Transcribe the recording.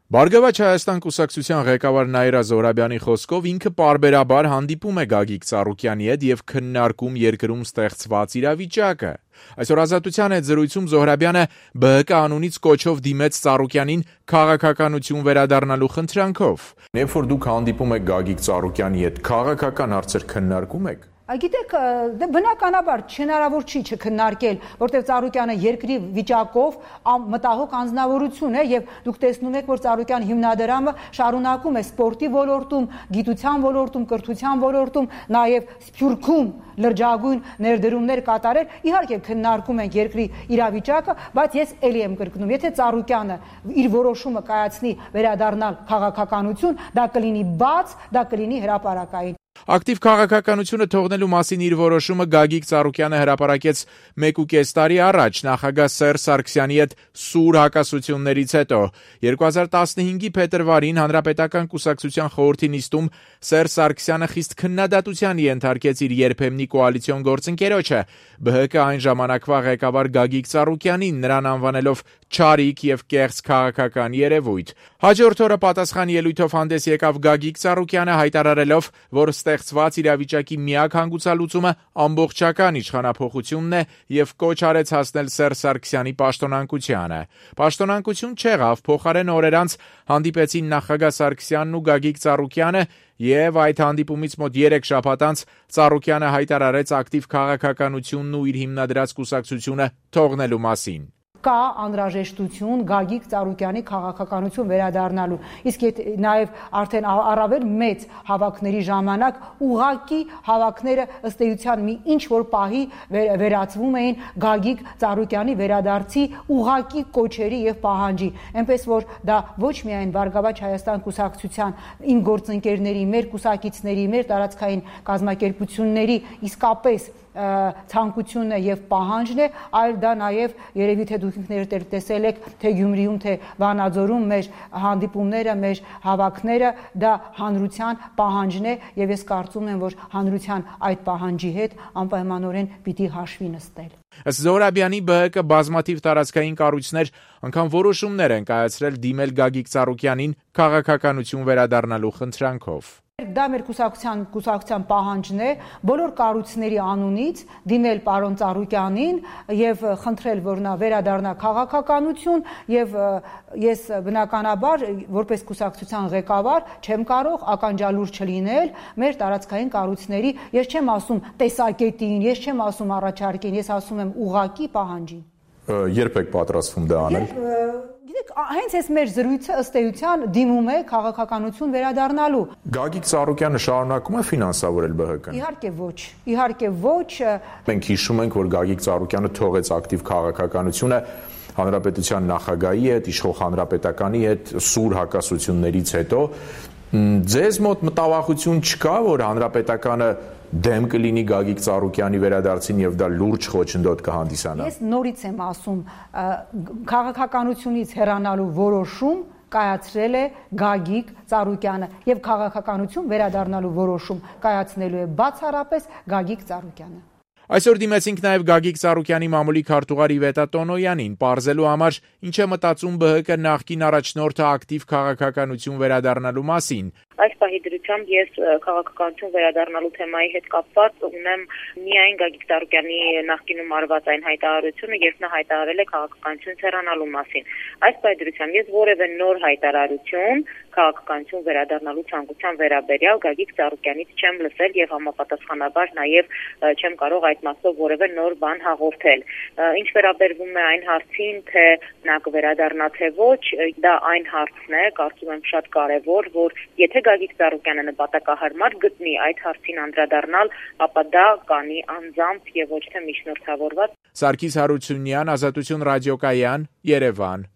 Բարգավաճ Հայաստան կուսակցության ղեկավար Նաիրա Զոհրաբյանի խոսքով ինքը պարբերաբար հանդիպում է Գագիկ Ծառուկյանի հետ եւ քննարկում երկրում ստեղծված իրավիճակը։ Այսօր Ազատության հետ զրույցում Զոհրաբյանը ԲՀԿ անունից կոչով դիմեց Ծառուկյանին քաղաքականություն վերադառնալու խնդրանքով։ Երբ որ դուք հանդիպում եք Գագիկ Ծառուկյանի հետ, քաղաքական հարցեր քննարկում եք։ Գիտեք, բնականաբար հնարավոր չի չքննարկել, որտեղ Ծառուկյանը երկրի վիճակով մտահոգ անձնավորություն է եւ դուք տեսնում եք, որ Ծառուկյան հիմնադրամը շարունակում է սպորտի ոլորտում, գիտության ոլորտում, կրթության ոլորտում, նաեւ Սփյուռքում լրջագույն ներդրումներ կատարել։ Իհարկե քննարկում ենք երկրի իրավիճակը, բայց ես ելի եմ կրկնում, եթե Ծառուկյանը իր որոշումը կայացնի վերադառնալ քաղաքականություն, դա կլինի բաց, դա կլինի հրապարակային։ Ակտիվ քաղաքականությունը թողնելու մասին իր որոշումը Գագիկ Ծառուկյանը հրապարակեց 1.5 տարի առաջ նախագահ Սերժ Սարգսյանի հետ սուր հակասություններից հետո։ 2015-ի փետրվարին Հանրապետական կուսակցության խորհրդի նիստում Սերժ Սարգսյանը խիստ քննադատության ենթարկեց իր երբեմնի կոալիցիոն գործընկերոջը, ԲՀԿ այն ժամանակվա ղեկավար Գագիկ Ծառուկյանին, նրան անվանելով չարիք եւ կեղծ քաղաքական երևույթ։ Հաջորդ օրը պատասխան ելույթով հանդես եկավ Գագիկ Ծառուկյանը, հայտարարելով, որ ստեղծված իրավիճակի միակ հանգուցալուծումը ամբողջական իշխանափոխությունն է եւ կոչ արեց հասնել Սերժ Սարգսյանի պաշտոնանկությանը։ Պաշտոնանկություն չեղավ, փոխարեն օրեր անց հանդիպեցին նախագահ Սարգսյանն ու Գագիկ Ծառուկյանը եւ այդ հանդիպումից մոտ 3 շաբաթ անց Ծառուկյանը հայտարարեց ակտիվ քաղաքականությունն ու իր հիմնադրած կուսակցությունը թողնելու մասին։ Կա անհրաժեշտություն Գագիկ Ծառուկյանի քաղաքականություն վերադառնալու։ Իսկ նաև արդեն առավել մեծ հավաքների ժամանակ ուղղակի հավաքները ըստ էության մի ինչ որ պահի վերածվում էին Գագիկ Ծառուկյանի վերադարձի ուղղակի կոչերի եւ պահանջի։ Էնպես որ դա ոչ միայն Բարգավաճ Հայաստան կուսակցության իմ գործընկերների, մեր կուսակիցների, մեր տարածքային կազմակերպությունների իսկապես ցանկությունն է եւ պահանջն է, այլ դա նաեւ երևի թե դուք ինքներդ տեսել եք թե Գյումրիում թե Վանաձորում մեր հանդիպումները, մեր հավաքները, դա հանրության պահանջն է եւ ես կարծում եմ, որ հանրության այդ պահանջի հետ անպայմանորեն պիտի հաշվի նստել։ Ըստ Զոհրաբյանի բՀԿ բազմաթիվ տարածքային կառույցներ անգամ որոշումներ են կայացրել դիմել Գագիկ Ծառուկյանին քաղաքականություն վերադառնալու խնդրանքով։ Դա մեր կուսակցության պահանջն է բոլոր կառույցների անունից դիմել պարոն Ծառուկյանին եւ խնդրել, որ նա վերադառնա քաղաքականություն եւ ես բնականաբար որպես կուսակցության ղեկավար չեմ կարող ականջալուր չլինել մեր տարածքային կառույցների, ես չեմ ասում տեսակետին, ես չեմ ասում առաջարկին, ես ասում եմ ուղղակի պահանջին։ Երբ եք պատրաստվում դա անել։ Գիտեք, հենց այս մեր զրույցը ըստ էության դիմում է քաղաքականություն վերադառնալու։ Գագիկ Ծառուկյանը շարունակում է ֆինանսավորել ԲՀԿ-ն։ Իհարկե ոչ։ Մենք հիշում ենք, որ Գագիկ Ծառուկյանը թողեց ակտիվ քաղաքականությունը հանրապետության նախագահի հետ, իշխող հանրապետականի հետ սուր հակասություններից հետո։ Ձեզ մոտ մտավախություն չկա, որ հանրապետականը դեմ կլինի Գագիկ Ծառուկյանի վերադարձին եւ դա լուրջ խոչընդոտ կհանդիսանա։ Ես նորից եմ ասում, քաղաքականությունից հեռանալու որոշում կայացրել է Գագիկ Ծառուկյանը եւ քաղաքականություն վերադառնալու որոշում կայացնելու է բացառապես Գագիկ Ծառուկյանը։ Այսօր դիմեցինք նաև Գագիկ Ծառուկյանի մամուլի քարտուղար Իվետա Տոնոյանին, պարզելու համար ինչ է մտածում ԲՀԿ նախկին առաջնորդը ակտիվ քաղաքականություն վերադառնալու մասին։ Այս պահի դրությամբ ես քաղաքականություն վերադառնալու թեմայի հետ կապված ունեմ միայն Գագիկ Ծառուկյանի նախկինում արված այն հայտարարությունը, երբ նա հայտարարել է քաղաքականություն հեռանալու մասին։ Այս պահի դրությամբ ես որևէ նոր հայտարարություն քաղաքականություն վերադառնալու ցանկության վերաբերյալ Գագիկ Ծառուկյանից չեմ լսել եւ համապատասխանաբար նաեւ չեմ կարող այդ մասով որևէ նոր բան հաղորդել։ Ինչ վերաբերվում է այն հարցին, թե նա կվերադառնա թե ոչ, դա այն հարցն է, կարծում եմ շատ կարեւոր, որ եթե Գագիկ Ծառուկյանը նպատակահարմար գտնի այդ հարցին անդրադառնալ, ապա դա կանի անձամբ եւ ոչ թե միջնորդավորված։ Սարգիս Հարությունյան, Ազատություն ռադիոկայան, Երևան։